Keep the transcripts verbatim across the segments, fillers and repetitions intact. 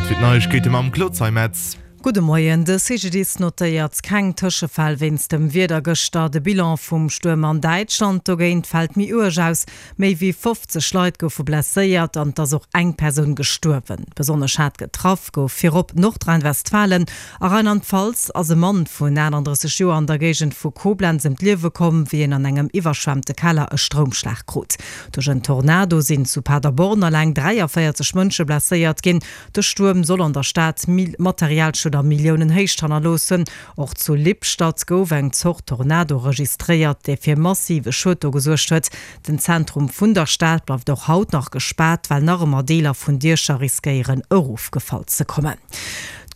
Zäit fir d'Neiegkeete mam Claude Zeimetz. Gudde Moien, De C G D I S notéiert keng Tëschefäll wéinst dem Wieder gëschter. De Bilan vum Stuerm an Däitschland dogéint fält méi uerg aus. Méi wéi fofzeg Leit goufe blesséiert an et ass och eng Persoun gestuerwen. Besonnesch haart getraff gouf virop Nordrhein-Westfalen. A Rheinland-Pfalz ass e Mann vun achtandrësseg Joer an der Géigend vu Koblenz ëm d'Liewe komm, wéi en an engem iwwerschwemmte Keller e Stroumschlag krut. Duerch en Tornado sinn zu Paderborn eleng dräiavéierzeg Mënsche blesséiert ginn. De Stuerm soll an der Stad Materialschued a Milliounenhéicht hannerloossen. Och zu Lippstadt gouf eng Zort Tornado registréiert, dee fir massive Schued do gesuergt huet. Den Zentrum vun der Stad bleift och haut nach gespaart, well nach ëmmer Deeler vun Diecher riskéieren erofgefall ze kommen.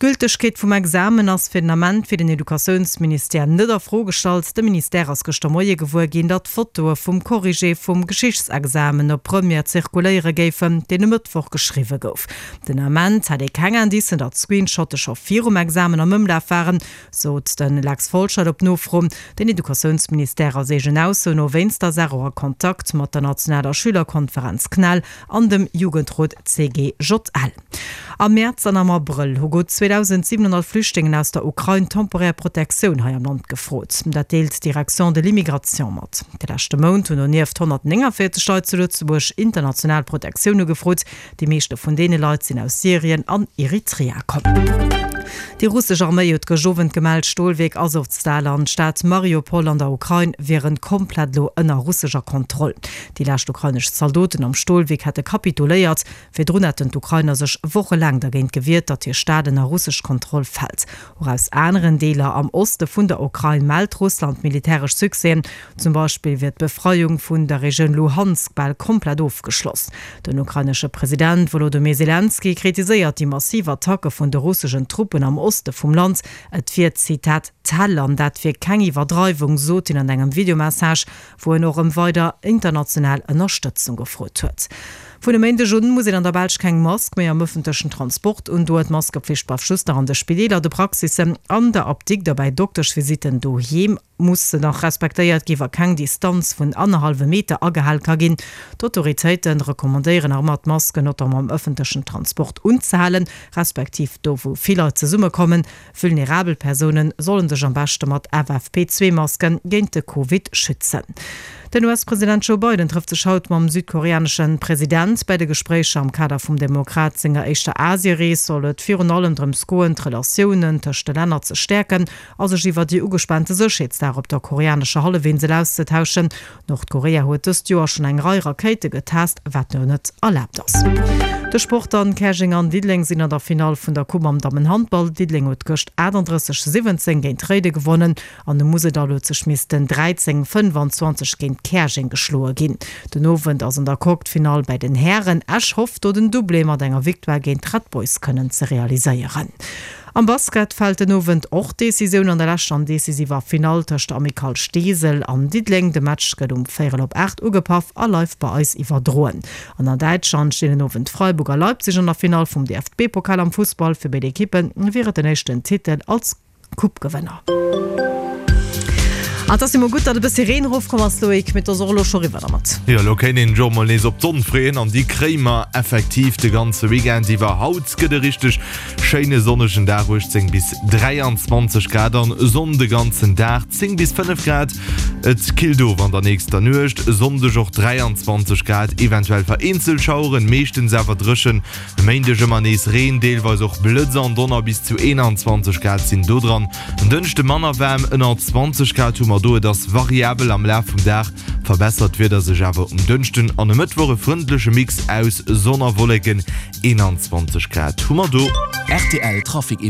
D'Gültegkeet vum Examen ass fir den Ament fir den Educatiounsministère net a Fro gestallt. De Ministère ass gëschter Moie gewuer ginn, datt Fotoe vum Corrigé vum Geschichtsexamen op Première zirkuléiere géifen, deen e Mëttwoch geschriwwe gouf. Den Ament hätt ee keng Indicen, datt Screenshotte scho virum Examen am Ëmlaf waren, sot de Lex Folscheid op Nofro. Den Educatiounsministère ass eegen Ausso no wéinst der Saach och a Kontakt mat der nationaler Schülerkonferenz CNEL an dem Jugendrot C G J L. Am Mäerz an am Abrëll hu gutt zweedausentsiwenhonnert Flüchtlingen aus der Ukrain temporär Protektioun hei am Land gefrot. Dat deelt d'Direction de l'immigration mat. De leschte Mount hunn donieft honnertnénganvéierzeg Leit zu Lëtzebuerg international Protektioun ugefrot. Déi meeschte vun deene Leit sinn aus Syrien an Eritrea komm. Déi russesch Arméi huet gëscht Owend gemellt, d'Stolwierk Asowstal an d'Stad Mariupol an der Ukrain wieren komplett elo ënner russescher Kontroll. Déi lescht ukrainesch Zaldoten am Stolwierk hätte kapituléiert. Virdrun hätten d'Ukrainer sech wochelaang dergéint gewiert, datt hir Stad ënner russesch Kontroll fält. Och aus aneren Deeler am Oste vun der Ukrain mellt Russland militäresch Succèsen. Zum Beispill wier d'Befreiung vun der Regioun Luhansk bal komplett ofgeschloss. Den ukrainesche President Wolodymyr Selenskyj kritiséiert déi massiv Attacke vun de russeschen Truppen am Oste vum Land. Et wier, Zitat, d'Häll an dat wier keng Iwwerdreiwung, sot hien an engem Videomessage, wou en och ëm weider international Ënnerstëtzung gefrot huet. Vun e Méindeg un muss een an der Belsch keng Mask méi am ëffentlechen Transport undoen. D'Maskepflicht bleift just nach an de Spideeler, de Praxissen, an der Apdikt a bäi Dokteschvisitten. Doheem muss se nach respektéiert ginn, wa keng Distanz vun annerhallwem Meter agehal ka ginn. D'Autoritéite recommandéieren nach ëmmer, d'Masken notamment am ëffentlechen Transport unzehalen, respektiv do wou vill Leit zesummekommen. Vulnerabel Persoune solle sech am beschte mat F F P zwee Masken géint de Covid schützen. Den U S-President Joe Biden trëfft sech haut mam südkoreanesche President. Bei de Gespréicher am Kader vum Demokrat senger éischter Asierees soll et virun allem drëms goen, d'Relatiounen tëscht de Länner ze stäerken a sech iwwer déi ugespaante Sécherheetslag op der koreanescher Hallefinsel auszetauschen. Nordkorea huet dëst Joer schonn eng Rei Rakéite getest, wat jo net erlaabt ass. De Sport dann: Käerjeng an Diddeleng sinn an der Finall vun der Coupe am Dammenhandball. Diddeleng huet gëscht achtandrësseg siwwenzéng géint Réiden gewonnen an de Museldall huet sech missten dräizéng fënnefanzwanzeg géint Käerjeng geschloe ginn. Den Owend ass an der Coque d'Finall bei den Hären. Esch hofft do den Doublé mat enger Victoire géint d'Red Boys kënnen ze realiséieren. Am Basket fält den Owend och d'Decisioun an der leschter an decisiver Finall tëscht Amicale Steesel an Diddeleng. De Match gëtt um véierel op aacht ugepaff a live bei eis iwwerdroen. An an Däitschland stinn den Owend Freiburg a Leipzig an der Finall vum D F B-Pokal am Fussball. Fir béid Ekippe wier et den éischten Titel als Coupe-Gewënner. An et ass jo mol gutt, datt e bëssi Reen erofkomm ass, Loïc, mee et ass och elo scho riwwer dermat. Jo, elo kéint een jo mol nees op d'Sonn freeën an déi kréie mer effektiv de ganze Weekend iwwer. Haut gëtt e richteg schéine sonnegen Dag, uechtzéng bis dräianzwanzeg Grad an Sonn de ganzen Dag, zéng bis fënnef Grad. Et killt of an der nächster Nuecht, e Sonndeg och dräianzwanzeg Grad, eventuell vereenzelt Schaueren, meeschtens awer dréchen. E Méindeg ëmmer nees Reen, deelweis och Blëtz an Donner, bis zu eenanzwanzeg Grad sinn do dran. En Dënschde manner waarm, ënner zwanzeg Grad hu mer do, et ass variabel. Am Laf vum Dag verbessert d'Wieder sech awer um Dënschden an e Mëttwoch, e frëndleche Mix aus Sonn a Wolleken, eenanzwanzeg Grad hu mer do. R T L Trafic Info.